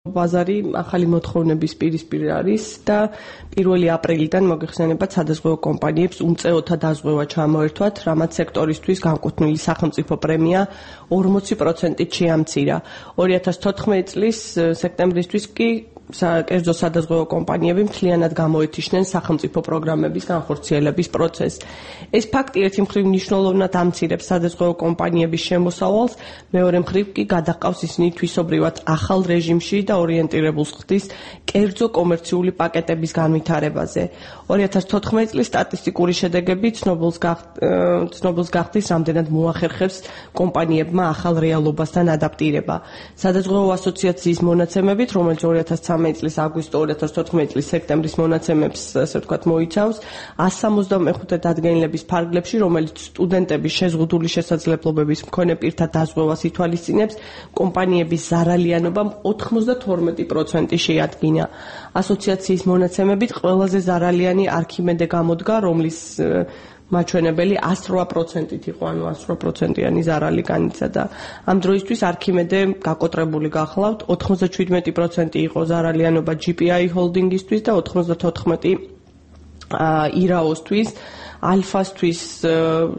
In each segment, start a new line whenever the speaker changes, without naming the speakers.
ბაზარი ახალი მოთხოვნების პირისპირ არის და 1 აპრილიდან მოგეხსენებათ სადაზღვევო კომპანიებს უმწეოთა დაზღვევა ჩამოერთვათ, რამაც სექტორისთვის განკუთვნილი სახელმწიფო პრემია 40%-ით შეამცირა. 2014 წლის სექტემბრისთვის კი კერძო სადაზღვევო კომპანიები მთლიანად გამოეთიშნენ სახელმწიფო პროგრამების განხორციელების პროცესს. ეს ფაქტი ერთი მხრივ მნიშვნელოვნად ამცირებს სადაზღვევო კომპანიების შემოსავალს, მეორე მხრივ კი გადაჰყავს ისინი თვისობრივად ახალ რეჟიმში და ორიენტირებულს ხდის კერძო კომერციული პაკეტების განვითარებაზე. 2014 წლის სტატისტიკური შედეგები ცნობილს გახდის, რამდენად მოახერხებს კომპანიებმა ახალ რეალობასთან ადაპტირება. სადაზღვევო ასოციაციის მონაცემებით, რომელიც 2013 წლის აგვისტო 2014 წლის სექტემბრის მონაცემებს, ასე ვთქვათ, მოიცავს 165 დადგენილების ფარგლებში, რომელიც სტუდენტების შეზღუდული შესაძლებლობების მქონე პირთა დაზღვევას ითვალისწინებს, კომპანიების ზარალიანობამ 92% შეადგინა. ასოციაციის მონაცემებით ყველაზე ზარალიანი არქიმედე გამოდგა, რომლის მაჩვენებელი 108%-ით იყო, ანუ 108%-იანი ზარალი განიცადა. ამ დროისთვის არქიმედე გაკოტრებული გახლავთ, 97% იყო ზარალიანობა GPI ჰოლდინგისთვის და 94% ირაოსთვის, ალფასთვის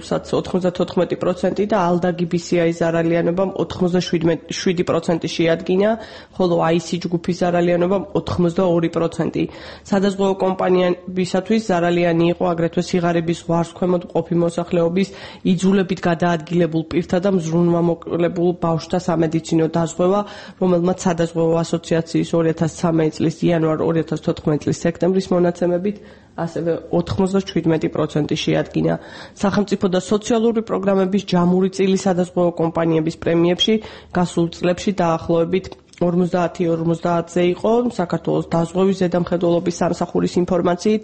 94% და ალდაგი BCI ზარალიანობამ 87% შეადგინა, ხოლო IC ჯგუფის ზარალიანობამ 82%. სადაზღვევო კომპანიებისათვის ზარალიანი იყო აგრეთვე სიღარიბის ზღვარს ქვემოთ მყოფი მოსახლეობის იძულებით გადაადგილებულ პირთა და მზრუნვამოკლებულ ბავშვთა სამედიცინო დაზღვევა, რომელმაც სადაზღვევო ასოციაციის 2013 წლის იანვარ 2014 წლის სექტემბრის მონაცემებით ასევე 97% შეადგინა. სახელმწიფო და სოციალური პროგრამების ჯამური წილი სადაზღვევო კომპანიების პრემიებში გასულ წლებში დაახლოებით 50-50-ზე იყო საქართველოს დაზღვევის ზედამხედველობის სამსახურის ინფორმაციით.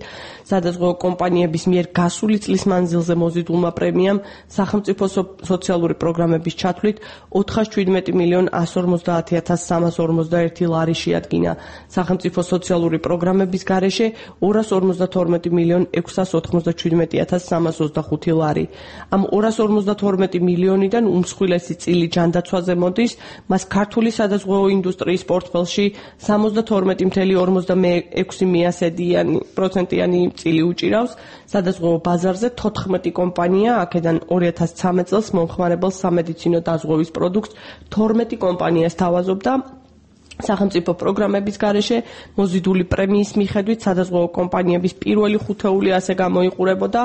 სადაზღვევო კომპანიების მიერ გასული წლის მანძილზე მოზიდულმა პრემიამ სახელმწიფო სოციალური პროგრამების ჩათვლით 407.150.341 ლარი შეადგინა. სახელმწიფო სოციალური პროგრამების გარეშე 252.697.325 ლარი. ამ 252 მილიონიდან უმსხვილესი წილი ჯანდაცვაზე მოდის, მას ქართული სადაზღვევო ინდუსტრიის პორტფელში 72.6%-იანი წილი უჭირავს. სადაზღვევო ბაზარზე 14 კომპანია, აქედან 2013 წელს მომხმარებელ სამედიცინო დაზღვევის პროდუქტს 12 კომპანია სთავაზობდა. სახელმწიფო პროგრამების გარეშე მოზიდული პრემიის მიხედვით სადაზღვევო კომპანიების პირველი ხუთეული ასე გამოიყურებოდა.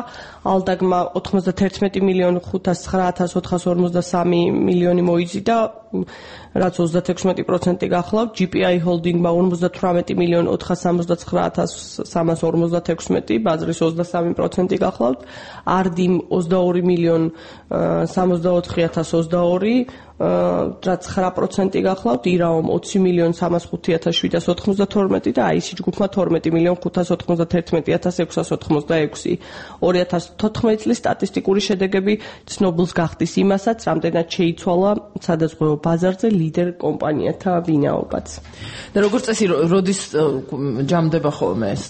ალდაგმა 91.509.453 მილიონი მოიზიდა, რაც 36% გახლავთ. GPI ჰოლდინგმა 58.469.346, ბაზრის 23% გახლავთ. არდიმ 22.064.022, რაც 9% გახლავთ. ირაომ 20.305.792 და IC ჯგუფმა 12.591.686. 2014 წლის სტატისტიკური შედეგები ცნობილს გახდის იმასაც, რამდენად შეიცვალა სადაზღვევო ბაზარზე ლიდერ კომპანიათა ვინაობაც.
და როგორც წესი, როდის ჯამდება ხოლმე ეს?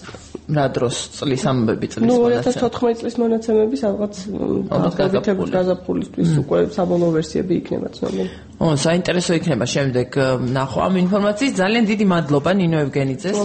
რა დროს წლის ამბები წლის მონაცემები?
2014 წლის მონაცემები სადღაც გაზაფხულისთვის უკვე საბოლოო ვერსიები იქნება ცნობილი.
საინტერესო იქნება შემდეგ ნახვა ამ ინფორმაციის. ძალიან დიდი მადლობა ნინო ევგენიძეს.